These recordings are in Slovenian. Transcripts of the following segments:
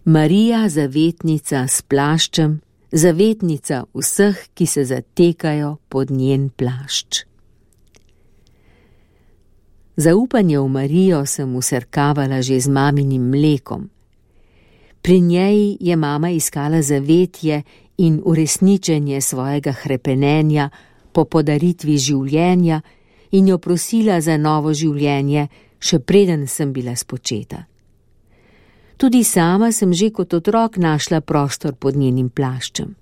Marija, zavetnica s plaščem, zavetnica vseh, ki se zatekajo pod njen plašč. Zaupanje v Marijo sem vsrkavala že z maminim mlekom. Pri njej je mama iskala zavetje in uresničenje svojega hrepenenja po podaritvi življenja in jo prosila za novo življenje, še preden sem bila spočeta. Tudi sama sem že kot otrok našla prostor pod njenim plaščem.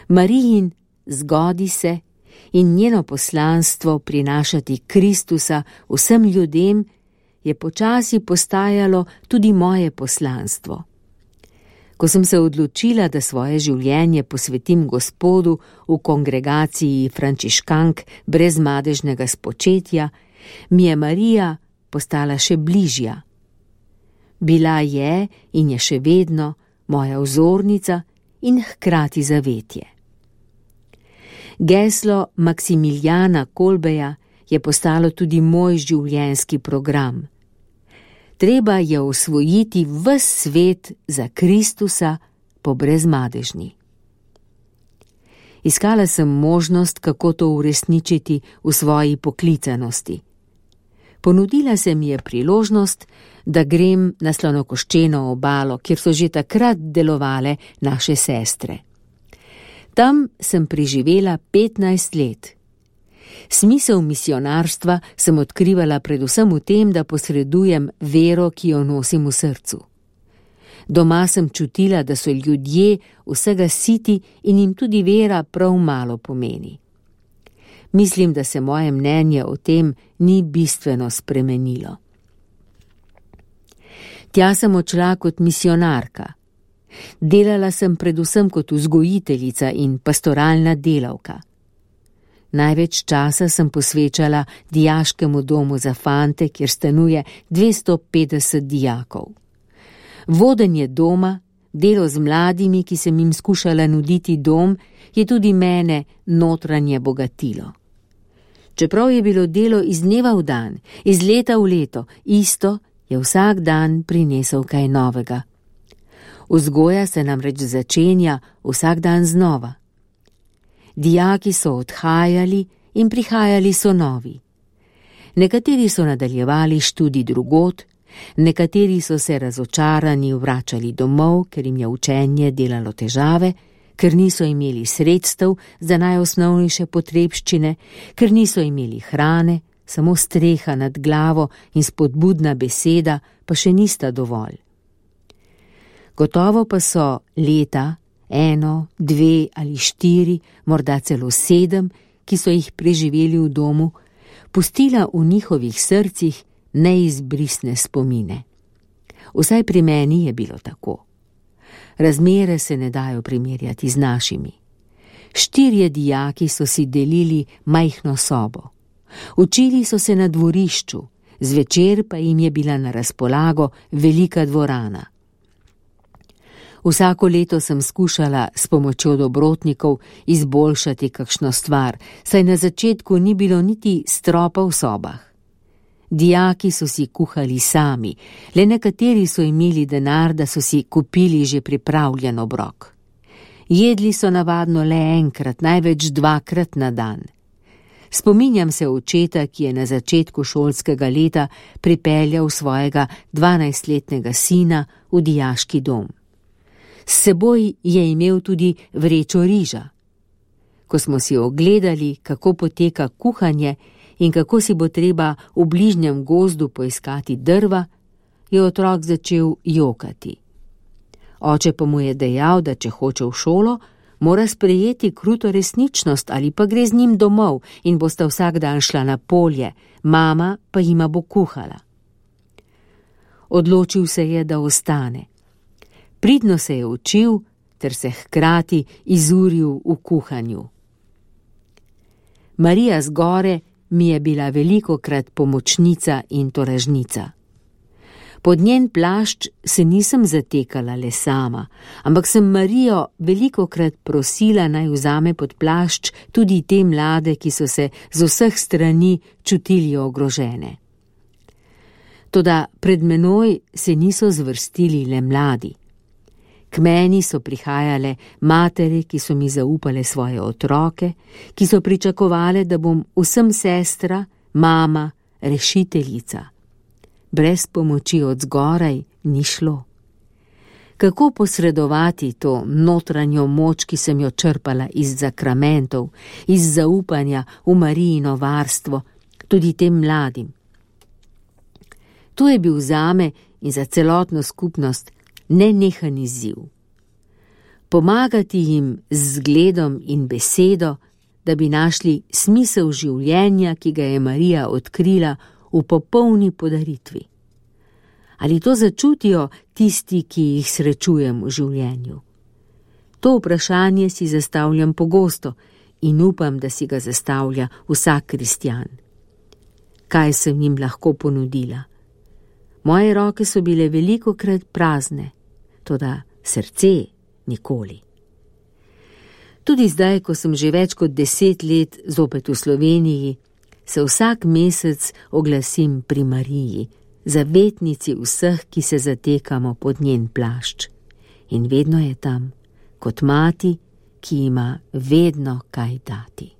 Marijin zgodi se in njeno poslanstvo prinašati Kristusa vsem ljudem je počasi postajalo tudi moje poslanstvo. Ko sem se odločila, da svoje življenje posvetim Gospodu v kongregaciji frančiškank brez madežnega spočetja, mi je Marija postala še bližja. Bila je in je še vedno moja vzornica in hkrati zavetje. Geslo Maksimiljana Kolbeja je postalo tudi moj življenjski program. Treba je osvojiti ves svet za Kristusa po brezmadežni. Iskala sem možnost, kako to uresničiti v svoji poklicanosti. Ponudila se mi je priložnost, da grem na Slonokoščeno obalo, kjer so že takrat delovale naše sestre. Tam sem preživela 15 let. Smisel misionarstva sem odkrivala predvsem v tem, da posredujem vero, ki jo nosim v srcu. Doma sem čutila, da so ljudje vsega siti in jim tudi vera prav malo pomeni. Mislim, da se moje mnenje o tem ni bistveno spremenilo. Tja sem odšla kot misionarka. Delala sem predvsem kot vzgojiteljica in pastoralna delavka. Največ časa sem posvečala dijaškemu domu za fante, kjer stanuje 250 dijakov. Vodenje doma, delo z mladimi, ki sem jim skušala nuditi dom, je tudi mene notranje bogatilo. Čeprav je bilo delo iz dneva v dan, iz leta v leto, isto, je vsak dan prinesel kaj novega. Vzgoja se namreč začenja vsak dan znova. Dijaki so odhajali in prihajali so novi. Nekateri so nadaljevali študij drugod, nekateri so se razočarani vračali domov, ker jim je učenje delalo težave, ker niso imeli sredstev za najosnovnejše potrebščine, ker niso imeli hrane, samo streha nad glavo in spodbudna beseda pa še nista dovolj. Gotovo pa so leta, 1, 2 ali 4, morda celo 7, ki so jih preživeli v domu, pustila v njihovih srcih neizbrisne spomine. Vsaj pri meni je bilo tako. Razmere se ne dajo primerjati z našimi. 4 dijaki so si delili majhno sobo. Učili so se na dvorišču, zvečer pa jim je bila na razpolago velika dvorana. Vsako leto sem skušala s pomočjo dobrotnikov izboljšati kakšno stvar, saj na začetku ni bilo niti stropa v sobah. Dijaki so si kuhali sami, le nekateri so imeli denar, da so si kupili že pripravljen obrok. Jedli so navadno le enkrat, največ 2-krat na dan. Spominjam se očeta, ki je na začetku šolskega leta pripeljal svojega 12-letnega sina v dijaški dom. S seboj je imel tudi vrečo riža. Ko smo si ogledali, kako poteka kuhanje in kako si bo treba v bližnjem gozdu poiskati drva, je otrok začel jokati. Oče pa mu je dejal, da če hoče v šolo, mora sprejeti kruto resničnost ali pa gre z njim domov in bosta vsak dan šla na polje, mama pa jima bo kuhala. Odločil se je, da ostane. Pridno se je učil ter se hkrati izuril v kuhanju. Marija z gore mi je bila velikokrat pomočnica in toražnica. Pod njen plašč se nisem zatekala le sama, ampak sem Marijo velikokrat prosila, naj vzame pod plašč tudi te mlade, ki so se z vseh strani čutili ogrožene. Toda pred menoj se niso zvrstili le mladi. K meni so prihajale matere, ki so mi zaupale svoje otroke, ki so pričakovale, da bom vsem sestra, mama, rešiteljica. Brez pomoči od zgoraj ni šlo. Kako posredovati to notranjo moč, ki sem jo črpala iz zakramentov, iz zaupanja v Marijino varstvo, tudi tem mladim? To je bil zame in za celotno skupnost nenehan izziv. Pomagati jim z zgledom in besedo, da bi našli smisel življenja, ki ga je Marija odkrila v popolni podaritvi. Ali to začutijo tisti, ki jih srečujem v življenju? To vprašanje si zastavljam pogosto in upam, da si ga zastavlja vsak kristjan. Kaj sem jim lahko ponudila? Moje roke so bile velikokrat prazne, toda srce nikoli. Tudi zdaj, ko sem že več kot 10 let zopet v Sloveniji, se vsak mesec oglasim pri Mariji, zavetnici vseh, ki se zatekamo pod njen plašč. In vedno je tam, kot mati, ki ima vedno kaj dati.